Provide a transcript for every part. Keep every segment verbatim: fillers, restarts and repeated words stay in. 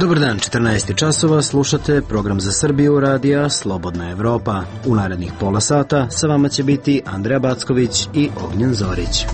Dobar dan, četrnaest časova, slušate program za Srbiju radija Slobodna Evropa. U narednih pola sata sa vama će biti Andreja Backović i Ognjen Zorić.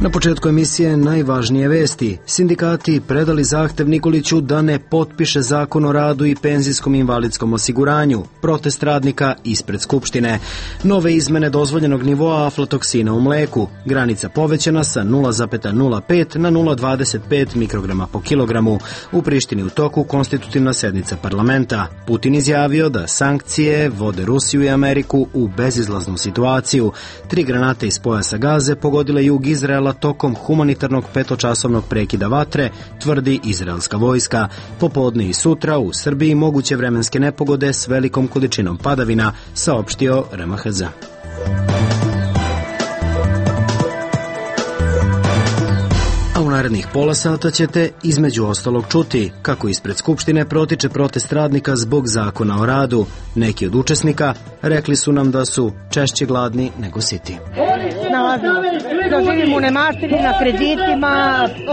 Na početku emisije najvažnije vesti. Sindikati predali zahtev Nikoliću da ne potpiše zakon o radu i penzijskom i invalidskom osiguranju. Protest radnika ispred Skupštine. Nove izmene dozvoljenog nivoa aflatoksina u mleku. Granica povećana sa nula zarez nula pet na nula zarez dvadeset pet mikrograma po kilogramu. U Prištini u toku konstitutivna sednica parlamenta. Putin izjavio da sankcije vode Rusiju i Ameriku u bezizlaznu situaciju. Tri granate iz pojasa Gaze pogodile jug Izraela tokom humanitarnog petočasovnog prekida vatre, tvrdi izraelska vojska. Popodne i sutra u Srbiji moguće vremenske nepogode s velikom količinom padavina, saopštio R M H Z. A u narednih pola sata ćete između ostalog čuti kako ispred Skupštine protiče protest radnika zbog zakona o radu. Neki od učesnika rekli su nam da su češće gladni nego siti. Snalazimo, da živimo u nemaštini, na kreditima,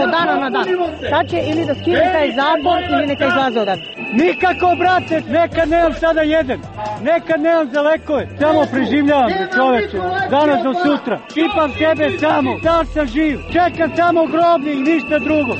od dana na dan. Sad će ili da skine taj zabor ili neka izlaze odad. Nikako, brate, nekad nemam sada jedan, nekad nemam za lekove, samo preživljavam se, čoveče, danas do sutra. Pipam sebe samo, da sam živ, čekam samo grobni i ništa drugo.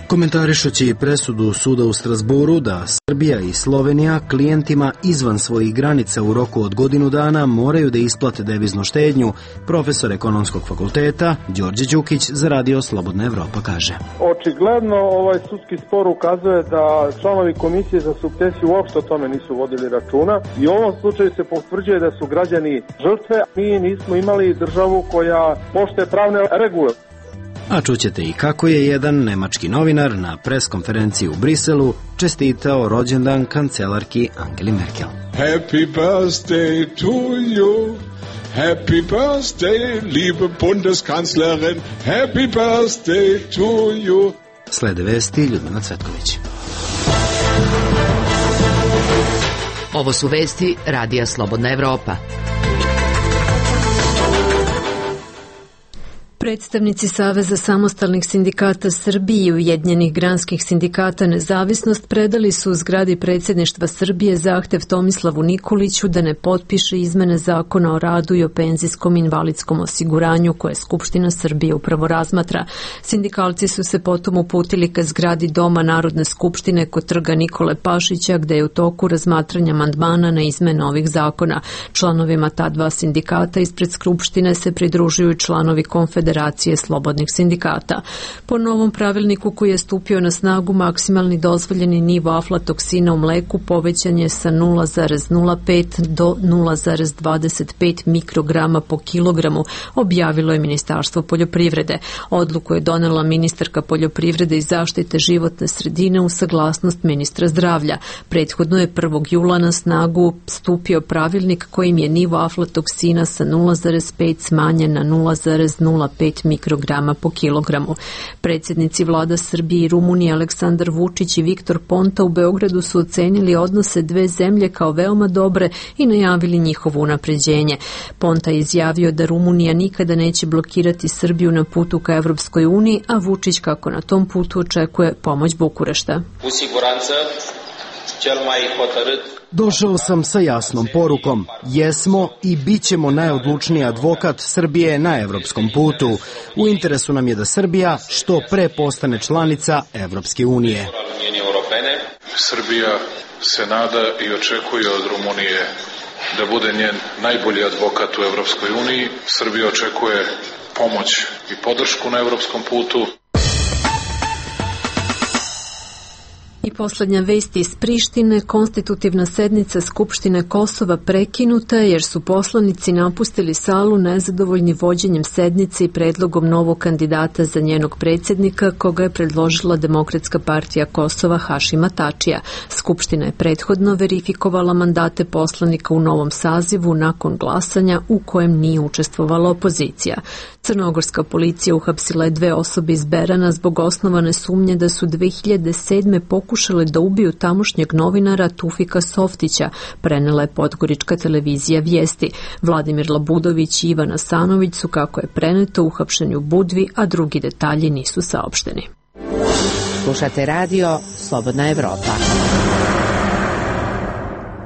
Komentarišući presudu suda u Strasburu da Srbija i Slovenija klijentima izvan svojih granica u roku od godinu dana moraju da isplate deviznu štednju, profesor ekonomskog fakulteta Đorđe Đukić za radio Slobodna Evropa kaže. Očigledno ovaj sudski spor ukazuje da članovi komisije za sukcesiju uopšte o tome nisu vodili računa i u ovom slučaju se potvrđuje da su građani žrtve. Mi nismo imali državu koja poštuje pravne regule. A čućete i kako je jedan nemački novinar na preskonferenciji u Briselu čestitao rođendan kancelarki Angeli Merkel. Happy birthday to you, happy birthday, liebe Bundeskanzlerin, happy birthday to you. Slede vesti Ljudmila Cvetković. Ovo su vesti radija Slobodna Evropa. Predstavnici Saveza samostalnih sindikata Srbije i Ujedinjenih granskih sindikata Nezavisnost predali su u zgradi predsjedništva Srbije zahtev Tomislavu Nikoliću da ne potpiše izmene zakona o radu i o penzijskom invalidskom osiguranju koje Skupština Srbije upravo razmatra. Sindikalci su se potom uputili ka zgradi Doma Narodne skupštine kod trga Nikole Pašića gde je u toku razmatranja amandmana na izmene ovih zakona. Članovima ta dva sindikata ispred Skupštine se pridružuju članovi Konfederacije Federacije slobodnih sindikata. Po novom pravilniku koji je stupio na snagu, maksimalni dozvoljeni nivo aflatoksina u mleku povećan je sa nula zarez nula pet do nula zarez dvadeset pet mikrograma po kilogramu, objavilo je Ministarstvo poljoprivrede. Odluku je donela ministarka poljoprivrede i zaštite životne sredine u saglasnost ministra zdravlja. Prethodno je prvog jula na snagu stupio pravilnik kojim je nivo aflatoksina sa nula zarez pet smanjen na nula zarez nula pet mikrograma po kilogramu. Predsjednici vlada Srbije i Rumunije Aleksandar Vučić i Viktor Ponta u Beogradu su ocenili odnose dve zemlje kao veoma dobre i najavili njihovo unapređenje. Ponta je izjavio da Rumunija nikada neće blokirati Srbiju na putu ka Evropskoj uniji, a Vučić kako na tom putu očekuje pomoć Bukurešta. U siguranță, cel mai hotărât. Došao sam sa jasnom porukom. Jesmo i bit ćemo najodlučniji advokat Srbije na evropskom putu. U interesu nam je da Srbija što pre postane članica Evropske unije. Srbija se nada i očekuje od Rumunije da bude njen najbolji advokat u Evropskoj uniji. Srbija očekuje pomoć i podršku na evropskom putu. I poslednja vest iz Prištine, konstitutivna sednica Skupštine Kosova prekinuta jer su poslanici napustili salu nezadovoljni vođenjem sednice i predlogom novog kandidata za njenog predsjednika koga je predložila Demokratska partija Kosova Hašima Tačija. Skupština je prethodno verifikovala mandate poslanika u novom sazivu nakon glasanja u kojem nije učestvovala opozicija. Crnogorska policija uhapsila je dve osobe iz Berana zbog osnovane sumnje da su dve hiljade sedme pokušale da ubiju tamošnjeg novinara Tufika Softića, prenela je podgorička televizija Vijesti. Vladimir Labudović i Ivan Asanović su, kako je preneto, uhapšeni u Budvi, a drugi detalji nisu saopšteni. Slušate radio Slobodna Evropa.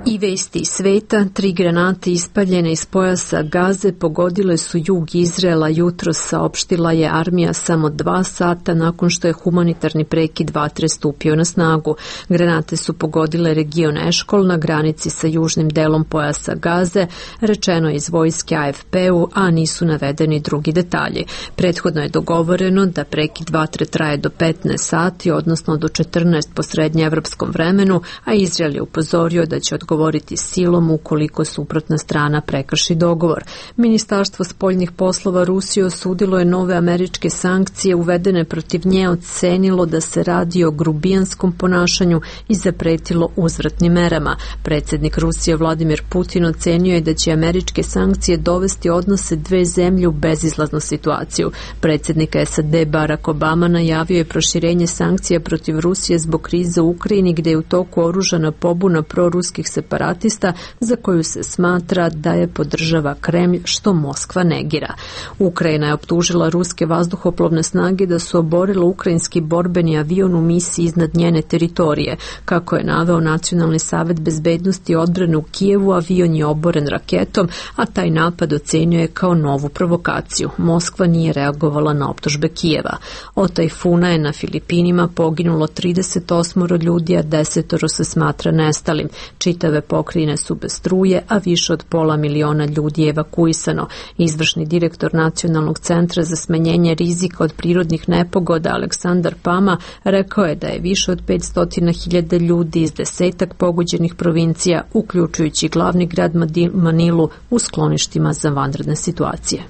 I vesti sveta, tri granate ispaljene iz pojasa Gaze pogodile su jug Izraela jutros, saopštila je armija samo dva sata nakon što je humanitarni prekid vatre stupio na snagu. Granate su pogodile region Eškol na granici sa južnim delom pojasa Gaze, rečeno iz vojske A F P-u, a nisu navedeni drugi detalji. Prethodno je dogovoreno da prekid vatre traje do petnaest sati, odnosno do četrnaest po srednjeevropskom vremenu, a Izrael je upozorio da će odgovoriti govoriti silom ukoliko suprotna strana prekrši dogovor. Ministarstvo spoljnih poslova Rusije osudilo je nove američke sankcije uvedene protiv nje, ocenilo da se radi o grubijanskom ponašanju i zapretilo uzvratnim merama. Predsjednik Rusije Vladimir Putin ocenio je da će američke sankcije dovesti odnose dve zemlje u bezizlaznu situaciju. Predsjednik S A D Barack Obama najavio je proširenje sankcija protiv Rusije zbog krize u Ukrajini, gdje je u toku oružana pobuna proruskih separatista za koju se smatra da je podržava Kremlj, što Moskva negira. Ukrajina je optužila ruske vazduhoplovne snage da su oborile ukrajinski borbeni avion u misiji iznad njene teritorije. Kako je naveo Nacionalni savet bezbednosti i odbrane u Kijevu, avion je oboren raketom, a taj napad ocenio je kao novu provokaciju. Moskva nije reagovala na optužbe Kijeva. Od tajfuna je na Filipinima poginulo trideset osam ljudi, a desetoro se smatra nestalim. Čitave pokrajine su bez struje, a više od pola miliona ljudi je evakuisano. Izvršni direktor Nacionalnog centra za smanjenje rizika od prirodnih nepogoda Aleksandar Pama rekao je da je više od petsto hiljada ljudi iz desetak pogođenih provincija, uključujući glavni grad Manilu, u skloništima za vanredne situacije.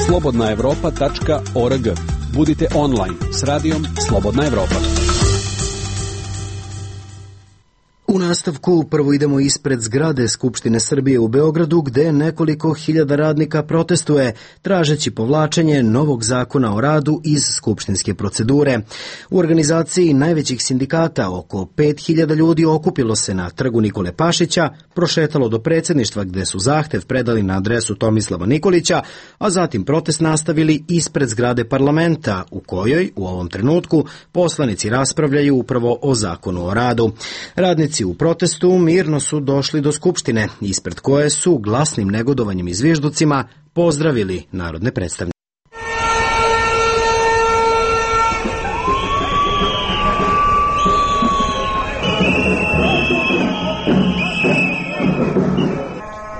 slobodna evropa tačka org. Budite online s radijom Slobodna Evropa. U nastavku prvo idemo ispred zgrade Skupštine Srbije u Beogradu, gde nekoliko hiljada radnika protestuje, tražeći povlačenje novog zakona o radu iz skupštinske procedure. U organizaciji najvećih sindikata oko pet hiljada ljudi okupilo se na trgu Nikole Pašića, prošetalo do predsjedništva gde su zahtev predali na adresu Tomislava Nikolića, a zatim protest nastavili ispred zgrade parlamenta, u kojoj u ovom trenutku poslanici raspravljaju upravo o zakonu o radu. Radnici u protestu mirno su došli do Skupštine, ispred koje su glasnim negodovanjem i zvižducima pozdravili narodne predstavnike.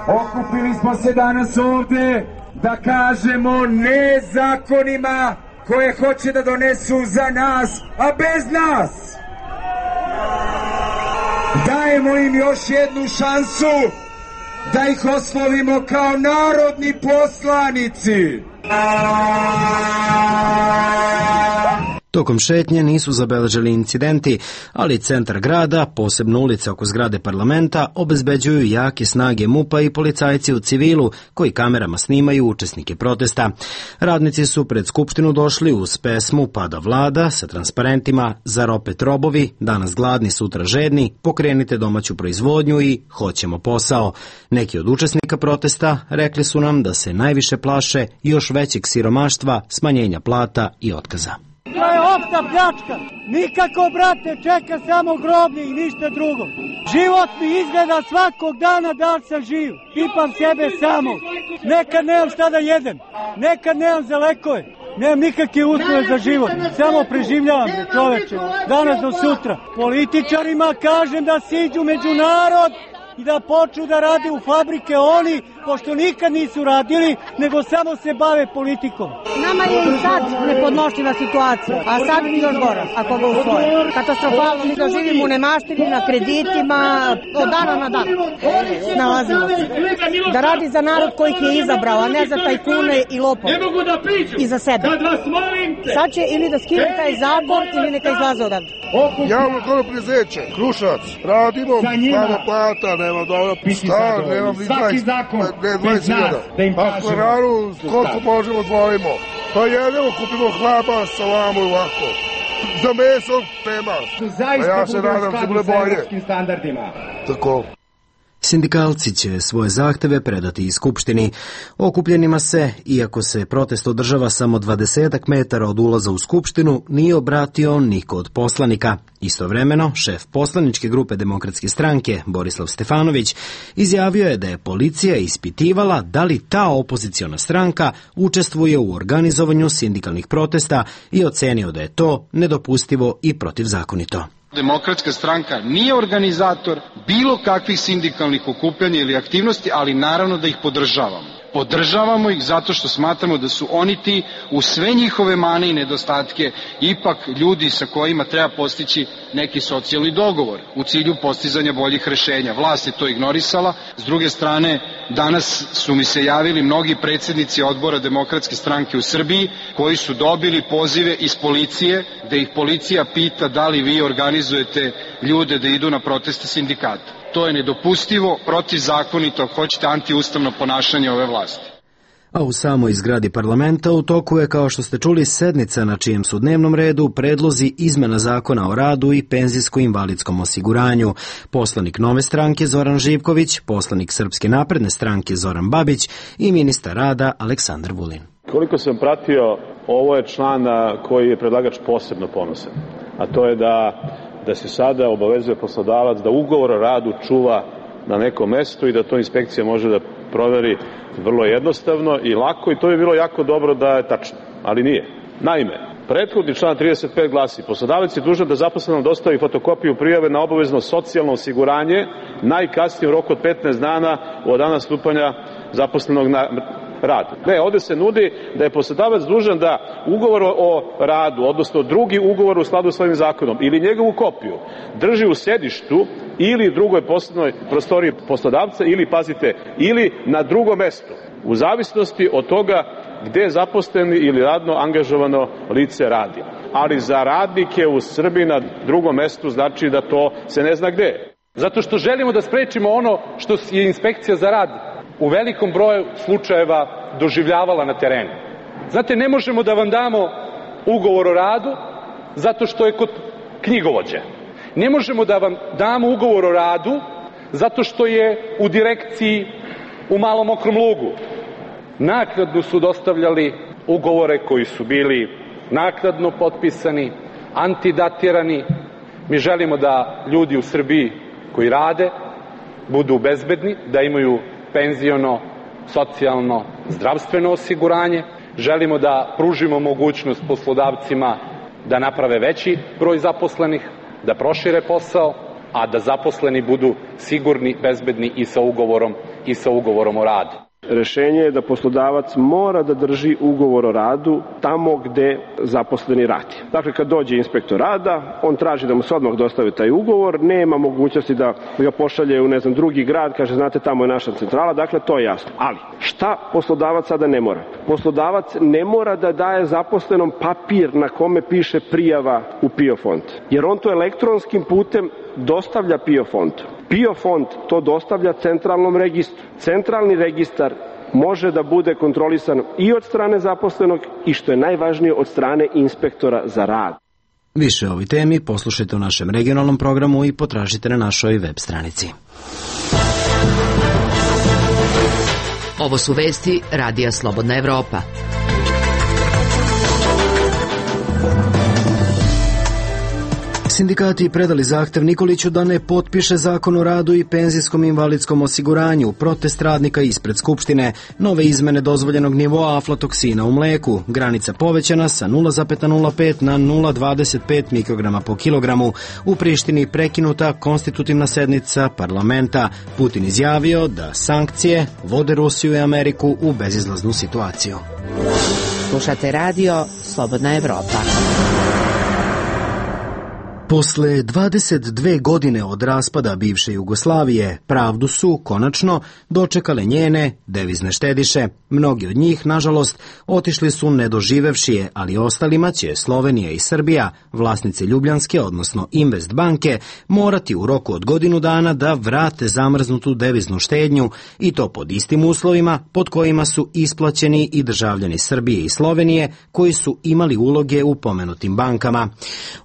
Okupili smo se danas ovde da kažemo ne zakonima koje hoće da donesu za nas, a bez nas. Dajemo im još jednu šansu da ih oslovimo kao narodni poslanici. Tokom šetnje nisu zabeležili incidenti, ali centar grada, posebno ulice oko zgrade parlamenta, obezbeđuju jake snage MUP-a i policajci u civilu koji kamerama snimaju učesnike protesta. Radnici su pred Skupštinu došli uz pesmu Pada vlada sa transparentima Zar opet robovi, danas gladni, sutra žedni, pokrenite domaću proizvodnju i hoćemo posao. Neki od učesnika protesta rekli su nam da se najviše plaše još većeg siromaštva, smanjenja plata i otkaza. To je opšta pljačka. Nikako, brate, čeka samo groblje i ništa drugo. Život mi izgleda svakog dana da li sam živ. Pipam sebe samo. Nekad nemam šta da jedem. Nekad nemam za lekove. Nemam nikakve uslove za život. Samo preživljavam, čoveče. Danas do sutra. Političarima kažem da siđu među narod i da počnu da rade u fabrike oni, pošto nikad nisu radili, nego samo se bave politikom. Nama je i sad nepodnošljiva situacija, a sad mi još gora, ako ga usvoje. Katastrofalno, mi doživimo u nemaštini, na kreditima, od dana na dan. Snalazimo se. Da radi za narod koji ih je izabrao, a ne za tajkune i lopove. I za sebe. Sad će ili da skinu taj zakon, ili neka izlaze odavde. Javno kono prezeće, Krušac, radimo, nema plata, nema dobro, stan, nema ni dvadeset hiljada. Ako je ranu, koliko možemo dvojimo. Pa jedemo, kupimo hlaba, salamu i ovako. Za meso, tema. A ja se nadam se bude bolje. Tako. Sindikalci će svoje zahteve predati i Skupštini. Okupljenima se, iako se protest održava samo dvadesetak metara od ulaza u Skupštinu, nije obratio niko od poslanika. Istovremeno, šef poslaničke grupe Demokratske stranke, Borislav Stefanović, izjavio je da je policija ispitivala da li ta opoziciona stranka učestvuje u organizovanju sindikalnih protesta i ocenio da je to nedopustivo i protivzakonito. Demokratska stranka nije organizator bilo kakvih sindikalnih okupljanja ili aktivnosti, ali naravno da ih podržavamo. Podržavamo ih zato što smatramo da su oni ti, u sve njihove mane i nedostatke, ipak ljudi sa kojima treba postići neki socijalni dogovor u cilju postizanja boljih rešenja. Vlast je to ignorisala. S druge strane, danas su mi se javili mnogi predsjednici odbora Demokratske stranke u Srbiji koji su dobili pozive iz policije, da ih policija pita da li vi organizujete ljude da idu na proteste sindikata. To je nedopustivo, protivzakonito, ako hoćete, antiustavno ponašanje ove vlasti. A u samoj zgradi parlamenta u toku je, kao što ste čuli, sednica na čijem su dnevnom redu predlozi izmena zakona o radu i penzijsko-invalidskom osiguranju. Poslanik Nove stranke Zoran Živković, poslanik Srpske napredne stranke Zoran Babić i ministar rada Aleksandar Vulin. Koliko sam pratio, ovo je član na koji je predlagač posebno ponosan, a to je da da se sada obavezuje poslodavac da ugovor o radu čuva na nekom mestu i da to inspekcija može da proveri vrlo jednostavno i lako, i to bi bilo jako dobro da je tačno, ali nije. Naime, prethodni član trideset pet glasi: poslodavac je dužan da zaposlenom dostavi fotokopiju prijave na obavezno socijalno osiguranje najkasnije u roku od petnaest dana od dana stupanja zaposlenog na rad. Ne, ovde se nudi da je poslodavac dužan da ugovor o radu, odnosno drugi ugovor u skladu s ovim zakonom ili njegovu kopiju drži u sedištu ili drugoj poslovnoj prostoriji poslodavca ili, pazite, ili na drugom mestu, u zavisnosti od toga gde je zaposleni ili radno angažovano lice radi. Ali za radnike u Srbiji na drugom mestu znači da to se ne zna gde je. Zato što želimo da sprečimo ono što je inspekcija za rad u velikom broju slučajeva doživljavala na terenu. Znate, ne možemo da vam damo ugovor o radu zato što je kod knjigovođe. Ne možemo da vam damo ugovor o radu zato što je u direkciji u Malom Mokrom Lugu. Naknadno su dostavljali ugovore koji su bili naknadno potpisani, antidatirani. Mi želimo da ljudi u Srbiji koji rade budu bezbedni, da imaju penziono, socijalno, zdravstveno osiguranje. Želimo da pružimo mogućnost poslodavcima da naprave veći broj zaposlenih, da prošire posao, a da zaposleni budu sigurni, bezbedni i sa ugovorom i sa ugovorom o radu. Rešenje je da poslodavac mora da drži ugovor o radu tamo gde zaposleni radi. Dakle, kad dođe inspektor rada, on traži da mu se odmah dostavi taj ugovor, nema mogućnosti da ga pošalje u, ne znam, drugi grad, kaže, znate, tamo je naša centrala, dakle, to je jasno. Ali, šta poslodavac sada ne mora? Poslodavac ne mora da daje zaposlenom papir na kome piše prijava u P I O fond, jer on to elektronskim putem dostavlja P I O fondu. P I O fond to dostavlja centralnom registru. Centralni registar može da bude kontrolisan i od strane zaposlenog i, što je najvažnije, od strane inspektora za rad. Više o ovoj temi poslušajte u našem regionalnom programu i potražite na našoj web stranici. Ovo su vesti Radija Slobodna Evropa. Sindikati predali zahtev Nikoliću da ne potpiše zakon o radu i penzijskom invalidskom osiguranju. Protest radnika ispred Skupštine. Nove izmene dozvoljenog nivoa aflatoksina u mleku. Granica povećana sa nula zarez nula pet na nula zarez dvadeset pet mikrograma po kilogramu. U Prištini prekinuta konstitutivna sednica parlamenta. Putin izjavio da sankcije vode Rusiju i Ameriku u bezizlaznu situaciju. Slušate radio Slobodna Evropa. Posle dvadeset dve godine od raspada bivše Jugoslavije, pravdu su, konačno, dočekale njene devizne štediše. Mnogi od njih, nažalost, otišli su nedoživevši je, ali ostalima će Slovenija i Srbija, vlasnice Ljubljanske, odnosno Invest banke, morati u roku od godinu dana da vrate zamrznutu deviznu štednju, i to pod istim uslovima pod kojima su isplaćeni i državljani Srbije i Slovenije koji su imali uloge u pomenutim bankama.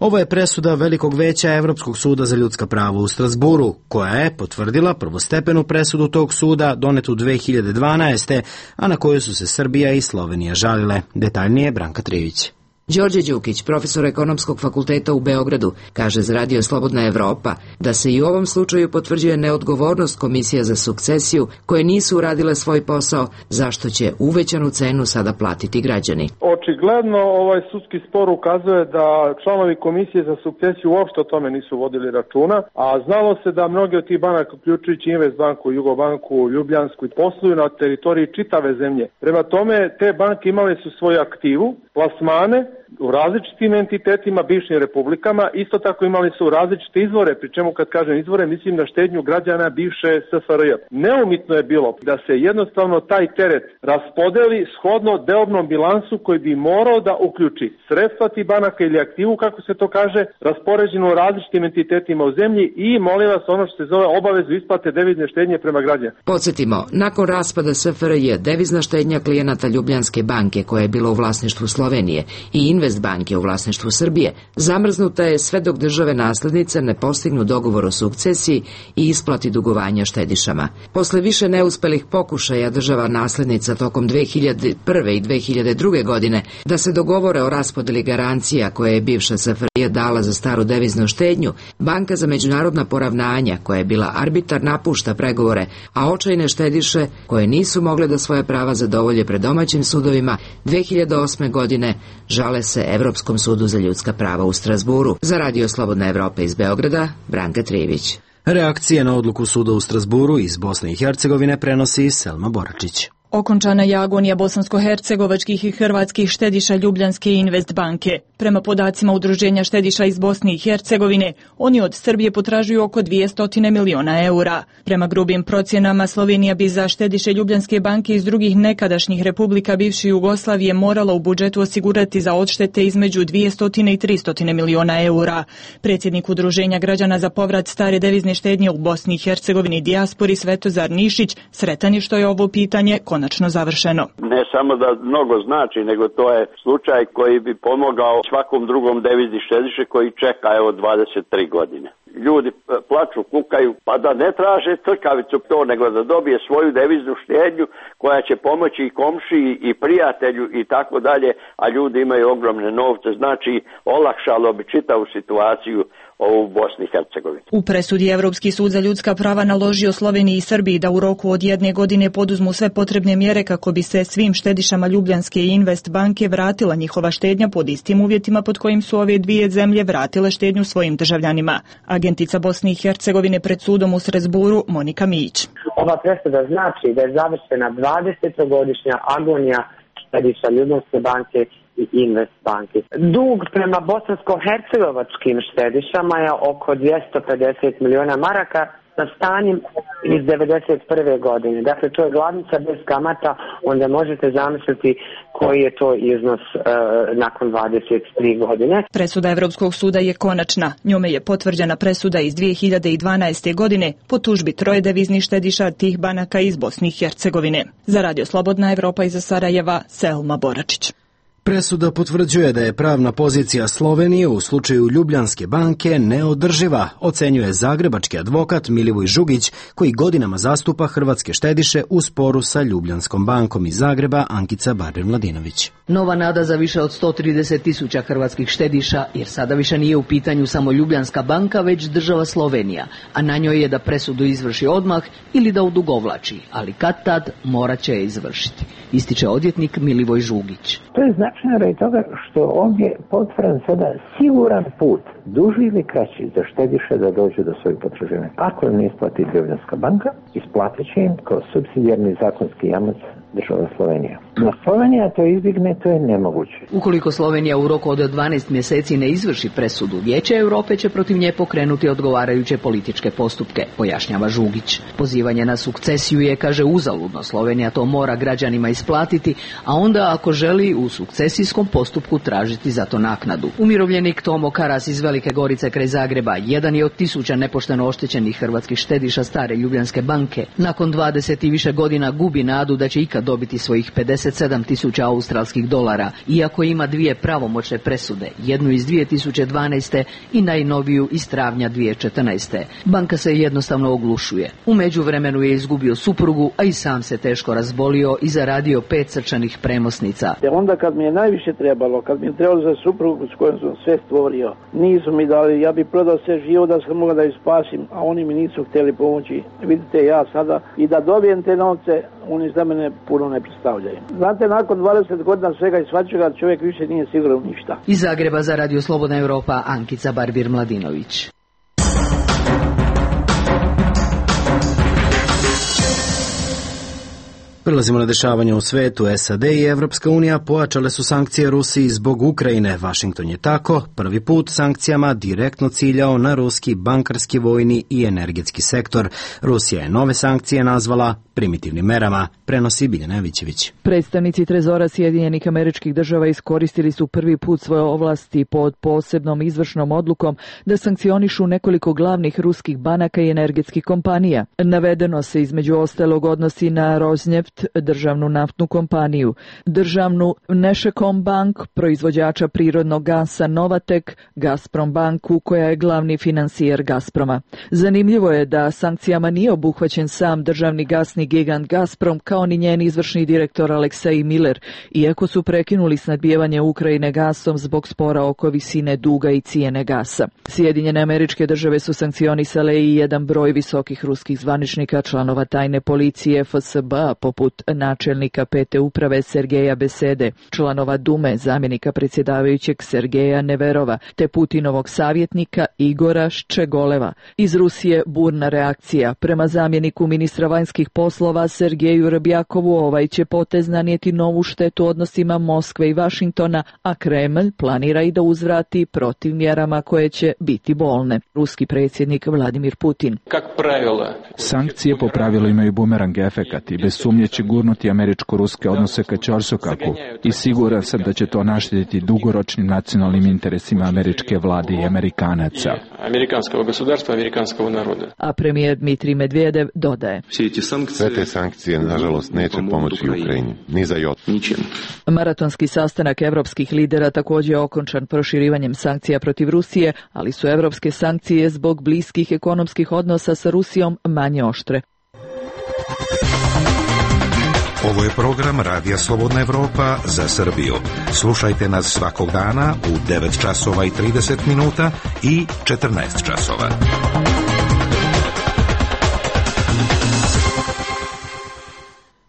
Ovo je presuda Velikog veća Evropskog suda za ljudska prava u Strasburu, koja je potvrdila prvostepenu presudu tog suda donetu dve hiljade dvanaeste. a na koju su se Srbija i Slovenija žalile. Detaljnije Branka Trivić. Đorđe Đukić, profesor Ekonomskog fakulteta u Beogradu, kaže za Radio Slobodna Evropa da se i u ovom slučaju potvrđuje neodgovornost Komisija za sukcesiju koje nisu uradile svoj posao, zašto će uvećanu cenu sada platiti građani. Očigledno ovaj sudski spor ukazuje da članovi Komisije za sukcesiju uopšte o tome nisu vodili računa, a znalo se da mnogi od tih banaka, uključujući Investbanku, Jugobanku, Ljubljansku, posluju na teritoriji čitave zemlje. Prema tome, te banke imale su svoju aktivu, plasmane u različitim entitetima, bivšim republikama, isto tako imali su različite izvore, pri čemu kad kažem izvore, mislim na štednju građana bivše S F R J. Neumitno je bilo da se jednostavno taj teret raspodeli shodno deobnom bilansu koji bi morao da uključi sredstva tih banaka ili aktivu, kako se to kaže, raspoređeno u različitim entitetima u zemlji i molim vas ono što se zove obavezu isplate devizne štednje prema građanima. Podsjetimo, nakon raspada S F R J, devizna štednja klijenata Ljubljanske banke, koja je bila u vlasništvu Slovenije, i Investbanke u vlasništvu Srbije, zamrznuta je sve dok države naslednice ne postignu dogovor o sukcesiji i isplati dugovanja štedišama. Posle više neuspelih pokušaja država naslednica tokom dve hiljade prve. i dve hiljade druge. godine da se dogovore o raspodeli garancija koje je bivša S F R J dala za staru deviznu štednju, Banka za međunarodna poravnanja, koja je bila arbitar, napušta pregovore, a očajne štediše koje nisu mogle da svoje prava zadovolje pred domaćim sudovima dve hiljade osme. godine žale se Evropskom sudu za ljudska prava u Strasburu. Za Radio Slobodna Evropa iz Beograda, Branka Trivić. Reakcije na odluku suda u Strasburu iz Bosne i Hercegovine prenosi Selma Boračić. Okončana je agonija bosansko-hercegovačkih i hrvatskih štediša Ljubljanske Investbanke. Prema podacima Udruženja štediša iz Bosne i Hercegovine, oni od Srbije potražuju oko dvjesto miliona eura. Prema grubim procjenama, Slovenija bi za štediše Ljubljanske banke iz drugih nekadašnjih republika bivše Jugoslavije morala u budžetu osigurati za odštete između dvjesto i tristo miliona eura. Predsjednik Udruženja građana za povrat stare devizne štednje u Bosni i Hercegovini i dijaspori Svetozar Nišić sretan je što je ovo pitanje konačno završeno. Ne samo da mnogo znači, nego to je slučaj koji bi pomogao svakom drugom devizni štediše koji čeka evo dvadeset tri godine. Ljudi plaču, kukaju, pa da ne traže crkavicu to, nego da dobije svoju deviznu štednju koja će pomoći i komšiji i prijatelju i tako dalje, a ljudi imaju ogromne novce, znači olakšalo bi čitavu situaciju u Bosni i Hercegovini. U presudi Evropski sud za ljudska prava naložio Sloveniji i Srbiji da u roku od jedne godine poduzmu sve potrebne mjere kako bi se svim štedišama Ljubljanske i Investbanke vratila njihova štednja pod istim uvjetima pod kojim su ove dvije zemlje vratile štednju svojim državljanima. Agentica Bosne i Hercegovine pred sudom u Strasburu Monika Mijić. Ova presuda znači da je završena dvadesetogodišnja agonija štediša Ljubljanske banke i Investbanke. Dug prema bosansko-hercegovačkim štedišama je oko dvjesto pedeset miliona maraka sa stanjem iz devedeset prve. godine. Dakle, to je glavnica bez kamata, onda možete zamisliti koji je to iznos e, nakon dvadeset tri godine. Presuda Evropskog suda je konačna. Njome je potvrđena presuda iz dvije hiljade dvanaeste. godine po tužbi troje deviznih štediša tih banaka iz Bosne i Hercegovine. Za Radio Slobodna Evropa iz Sarajeva, Selma Boračić. Presuda potvrđuje da je pravna pozicija Slovenije u slučaju Ljubljanske banke neodrživa, ocenjuje zagrebački advokat Milivoj Žugić, koji godinama zastupa hrvatske štediše u sporu sa Ljubljanskom bankom iz Zagreba, Ankica Barber-Mladinović. Nova nada za više od sto trideset tisuća hrvatskih štediša, jer sada više nije u pitanju samo Ljubljanska banka, već država Slovenija, a na njoj je da presudu izvrši odmah ili da odugovlači, ali kad tad morat će je izvršiti, ističe odvjetnik Milivoj Žugić. To je značajno radi toga što ovdje potvrdan sada siguran put, duži ili kraći, za štediše da dođu do svojih potraživanja. Ako im ne isplati Ljubljanska banka, isplatit će im kao supsidijarni zakonski jamac država Slovenija. Na Slovenija to izbjegne, to je nemoguće. Ukoliko Slovenija u roku od dvanaest mjeseci ne izvrši presudu, Vijeće Europe će protiv nje pokrenuti odgovarajuće političke postupke, pojašnjava Žugić. Pozivanje na sukcesiju je, kaže, uzaludno. Slovenija to mora građanima isplatiti, a onda ako želi u sukcesijskom postupku tražiti za to naknadu. Umirovljenik Tomo Karas iz Velike Velike Gorice kraj Zagreba jedan je od tisuća nepošteno oštećenih hrvatskih štediša stare Ljubljanske banke. Nakon dvadeset i više godina gubi nadu da će ikad dobiti svojih pedeset sedam tisuća australskih dolara, iako ima dvije pravomoćne presude, jednu iz dvije tisuće dvanaeste i najnoviju iz travnja dvije tisuće četrnaeste. Banka se jednostavno oglušuje. U međuvremenu je izgubio suprugu, a i sam se teško razbolio i zaradio pet srčanih premosnica. Te onda kad mi je najviše trebalo, kad mi je trebalo za suprugu s kojom sam sve stvorio, nisu mi dali, ja bih prodao sve živo da sam mogao da ih spasim, a oni mi nisu htjeli pomoći. Vidite, ja sada i da dobijem te novce, oni za mene puno ne predstavljaju. Znate, nakon dvadeset godina svega i svačega čovjek više nije siguran u ništa. Iz Zagreba za Radio Slobodna Europa, Ankica Barbir-Mladinović. Prelazimo na dešavanje u svetu. S A D i Evropska unija pojačale su sankcije Rusiji zbog Ukrajine. Washington je tako prvi put sankcijama direktno ciljao na ruski bankarski, vojni i energetski sektor. Rusija je nove sankcije nazvala primitivnim merama, prenosi Biljana Evićević. Predstavnici Trezora Sjedinjenih Američkih Država iskoristili su prvi put svoje ovlasti pod posebnom izvršnom odlukom da sankcionišu nekoliko glavnih ruskih banaka i energetskih kompanija. Navedeno se između ostalog odnosi na Rosneft, državnu naftnu kompaniju, državnu Nešekom bank, proizvođača prirodnog gasa Novatek, Gazprom banku koja je glavni finansijer Gazproma. Zanimljivo je da sankcijama nije obuhvaćen sam državni gasni gigant Gazprom kao ni njen izvršni direktor Aleksej Miller, iako su prekinuli snabdijevanje Ukrajine gasom zbog spora oko visine duga i cijene gasa. Sjedinjene Američke Države su sankcionisale i jedan broj visokih ruskih zvaničnika, članova tajne policije F S B, poput načelnika pete uprave Sergeja Besede, članova Dume, zamjenika predsjedavajućeg Sergeja Neverova, te Putinovog savjetnika Igora Ščegoleva. Iz Rusije burna reakcija. Prema zamjeniku ministra vanjskih poslova Sergeju Rbjakovu, ovaj će potez nanijeti novu štetu odnosima Moskve i Vašingtona, a Kremlj planira i da uzvrati protiv mjerama koje će biti bolne. Ruski predsjednik Vladimir Putin. Sankcije po pravilu imaju bumerang efekat i bez sumnje će gurnuti američko-ruske odnose ka ćorsokaku i siguran sam da će to naštetiti dugoročnim nacionalnim interesima američke vlade i Amerikanaca. Amerikanskog gospodarstva, amerikanskog naroda. A premijer Dmitrij Medvedev dodaje. Sve te sankcije, nažalost, neće pomoći Ukrajini, ni za jot. Maratonski sastanak evropskih lidera također je okončan proširivanjem sankcija protiv Rusije, ali su evropske sankcije zbog bliskih ekonomskih odnosa sa Rusijom manje oštre. Ovo je program Radija Slobodna Evropa za Srbiju. Slušajte nas svakog dana u devet časova i trideset minuta i četrnaest časova.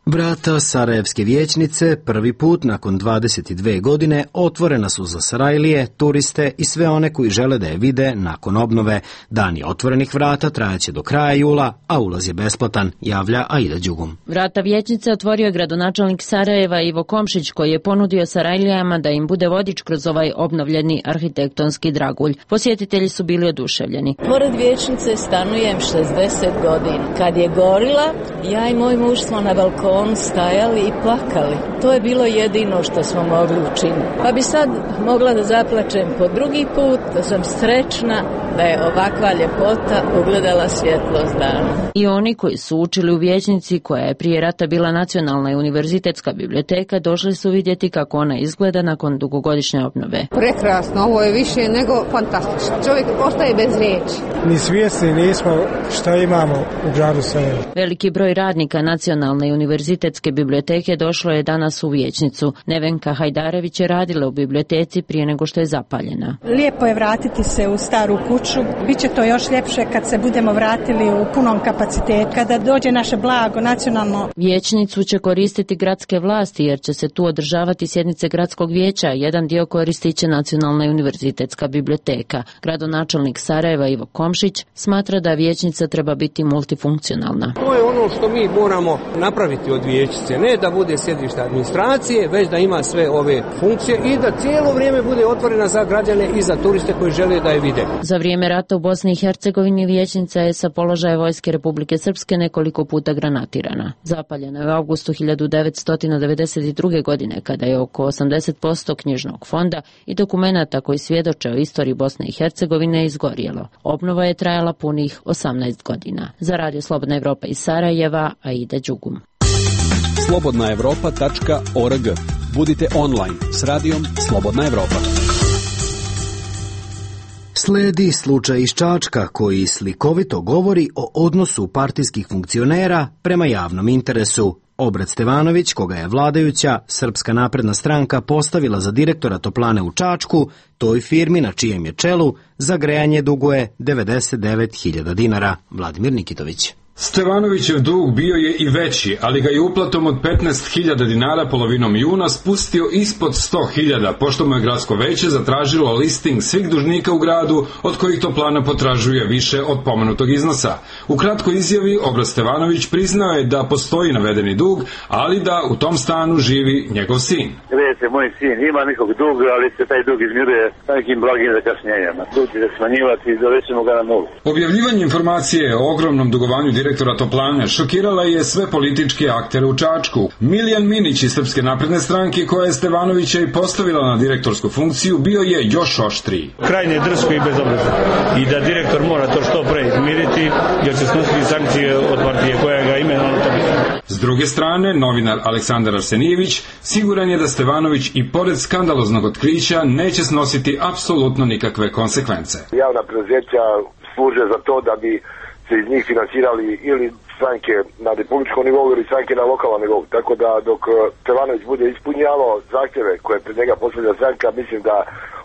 Vrata Sarajevske vijećnice prvi put nakon dvadeset dve godine otvorena su za Sarajlije, turiste i sve one koji žele da je vide nakon obnove. Dani otvorenih vrata trajaće do kraja jula, a ulaz je besplatan, javlja Aida Đugum. Vrata vijećnice otvorio je gradonačelnik Sarajeva Ivo Komšić, koji je ponudio Sarajlijama da im bude vodič kroz ovaj obnovljeni arhitektonski dragulj. Posjetitelji su bili oduševljeni. Pored vijećnice stanujem šezdeset godina. Kad je gorila, ja i moj muž smo na balkonu stajali i plakali. To je bilo jedino što smo mogli učiniti. Pa bi sad mogla da zaplačem po drugi put, da sam srećna da je ovakva ljepota ugledala svjetlost dana. I oni koji su učili u vijećnici, koja je prije rata bila nacionalna i univerzitetska biblioteka, došli su vidjeti kako ona izgleda nakon dugogodišnje obnove. Prekrasno, ovo je više nego fantastično. Čovjek ostaje bez riječi. Ni svjesni nismo šta imamo u gradu Sarajevo. Veliki broj radnika nacionalne i univerzitetske biblioteke došlo je danas u vijećnicu. Nevenka Hajdarević je radila u biblioteci prije nego što je zapaljena. Lijepo je vratiti se u staru kuću. Biće to još ljepše kad se budemo vratili u punom kapacitetu, kada dođe naše blago nacionalno. Vijećnicu će koristiti gradske vlasti jer će se tu održavati sjednice gradskog vijeća. Jedan dio koristit će Nacionalna i univerzitetska biblioteka. Gradonačelnik Sarajeva Ivo Komšić smatra da vijećnica treba biti multifunkcionalna. To je ono što mi moramo napraviti od od vijećice, ne da bude sjedište administracije, već da ima sve ove funkcije i da cijelo vrijeme bude otvorena za građane i za turiste koji žele da je vide. Za vrijeme rata u Bosni i Hercegovini vijećnica je sa položaja Vojske Republike Srpske nekoliko puta granatirana. Zapaljena je u avgustu hiljadu devetsto devedeset druge. godine, kada je oko osamdeset posto knjižnog fonda i dokumenata koji svjedoče o istoriji Bosne i Hercegovine izgorjelo. Obnova je trajala punih osamnaest godina. Za Radio Slobodna Evropa iz Sarajeva, Aida Đugum. slobodna evropa tačka org. Budite online s radijom Slobodna Evropa. Sledi slučaj iz Čačka koji slikovito govori o odnosu partijskih funkcionera prema javnom interesu. Obrat Stevanović, koga je vladajuća Srpska napredna stranka postavila za direktora toplane u Čačku, toj firmi na čijem je čelu za grejanje duguje devedeset devet hiljada dinara. Vladimir Nikitović. Stevanovićev dug bio je i veći, ali ga je uplatom od petnaest hiljada dinara polovinom juna spustio ispod sto hiljada, pošto mu je gradsko veće zatražilo listing svih dužnika u gradu, od kojih toplana potražuje više od pomenutog iznosa. U kratkoj izjavi Obrat Stevanović priznao je da postoji navedeni dug, ali da u tom stanu živi njegov sin. Vidite, moj sin ima nekog duga, ali se taj dug izmiruje nekim blagim zakašnjenjama. Dug će se smanjivati i dovećemo ga na nulu. Objavljivanje informacije o ogromnom dugovanju direktora toplane šokirala je sve političke aktere u Čačku. Miljan Minić iz Srpske napredne stranke, koja je Stevanovića i postavila na direktorsku funkciju, bio je još oštriji. Krajnje drsko i bezobrazno. I da direktor mora to što pre izmiriti, jer će snositi sankcije od partije koja ga imenovala. S druge strane, novinar Aleksandar Arsenijević siguran je da Stevanović i pored skandaloznog otkrića neće snositi apsolutno nikakve konsekvence. Javna preduzeća služe za to da bi se iz njih finansirali ili stranke na republičkom nivou ili stranke na lokalnom nivou. Tako da dok Stevanović bude ispunjavao zahtjeve koje pred njega postavlja stranka, mislim da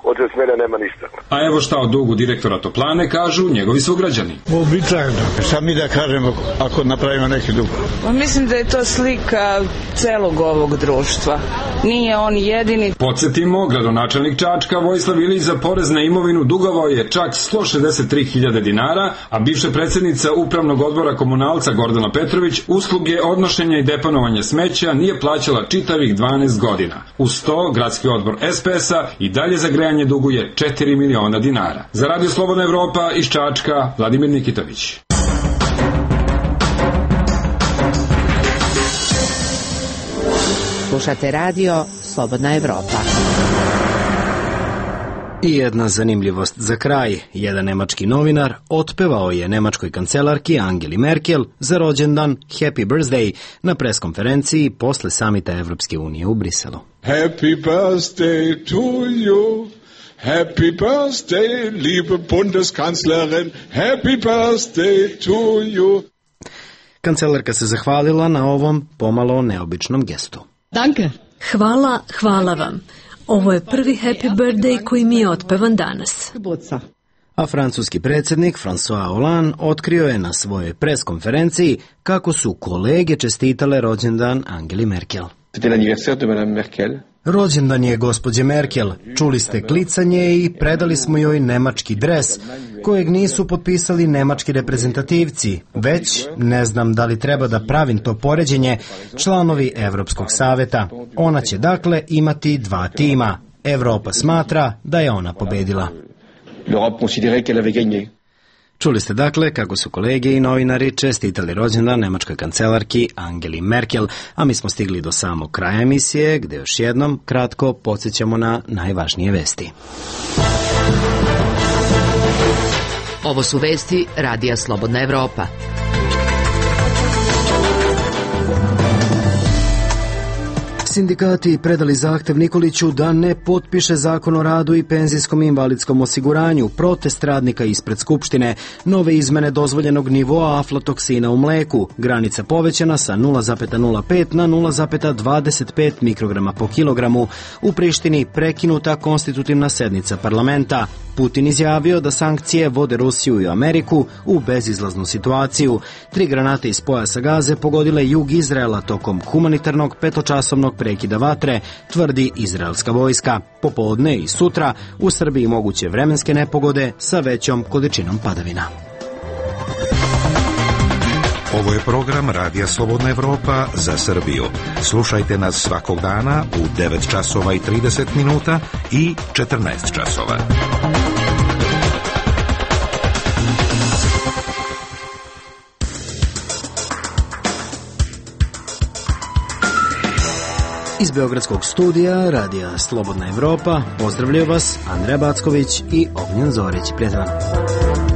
od te smjene nema ništa. A evo šta o dugu direktora toplane kažu njegovi sugrađani. Uobičajeno. Šta mi da kažemo ako napravimo neki dug? Mislim da je to slika celog ovog društva. Nije on jedini. Podsjetimo, gradonačelnik Čačka Vojislav Ilić za porez na imovinu dugovao je čak sto šezdeset tri hiljade dinara, a bivša predsjednica upravnog odbora Komunalca Gordana Petrović usluge odnošenja i deponovanja smeća nije plaćala čitavih dvanaest godina. Uz to, gradski odbor es pe es-a i dalje za grejanje duguje četiri miliona dinara. Za Radio Slobodna Evropa iz Čačka, Vladimir Nikitović. Slušate radio Slobodna Evropa. I jedna zanimljivost za kraj. Jedan nemački novinar otpevao je nemačkoj kancelarki Angeli Merkel za rođendan Happy Birthday na preskonferenciji posle samita Evropske unije u Briselu. Happy birthday to you. Happy birthday, liebe Bundeskanzlerin. Happy birthday to you. Kancelarka se zahvalila na ovom pomalo neobičnom gestu. Danke. Hvala, hvala vam. Ovo je prvi Happy Birthday koji mi je otpevan danas. A francuski predsjednik François Hollande otkrio je na svojoj preskonferenciji kako su kolege čestitale rođendan Angeli Merkel. C'était l'anniversaire de Madame Merkel. Rođendan je gospođe Merkel. Čuli ste klicanje i predali smo joj nemački dres, kojeg nisu potpisali nemački reprezentativci, već, ne znam da li treba da pravim to poređenje, članovi Evropskog saveta. Ona će dakle imati dva tima. Evropa smatra da je ona pobedila. L'Europe considérait qu'elle avait gagné. Čuli ste dakle kako su kolege i novinari čestitali rođendan nemačkoj kancelarki Angeli Merkel, a mi smo stigli do samog kraja emisije, gde još jednom kratko podsjećamo na najvažnije vesti. Ovo su vesti Radija Slobodna Evropa. Sindikati predali zahtev Nikoliću da ne potpiše zakon o radu i penzijskom i invalidskom osiguranju, protest radnika ispred Skupštine, nove izmene dozvoljenog nivoa aflatoksina u mleku, granica povećana sa nula zarez nula pet na nula zarez dvadeset pet mikrograma po kilogramu, u Prištini prekinuta konstitutivna sednica parlamenta. Putin izjavio da sankcije vode Rusiju i Ameriku u bezizlaznu situaciju. Tri granate iz pojasa Gaze pogodile jug Izraela tokom humanitarnog petočasovnog prekida vatre, tvrdi izraelska vojska. Popodne i sutra u Srbiji moguće vremenske nepogode sa većom količinom padavina. Ovo je program Radija Slobodna Evropa za Srbiju. Slušajte nas svakog dana u devet časova i trideset minuta i četrnaest časova. Iz Beogradskog studija Radija Slobodna Evropa pozdravljaju vas Andreja Backović i Ognjen Zorić. Prijatelj vam.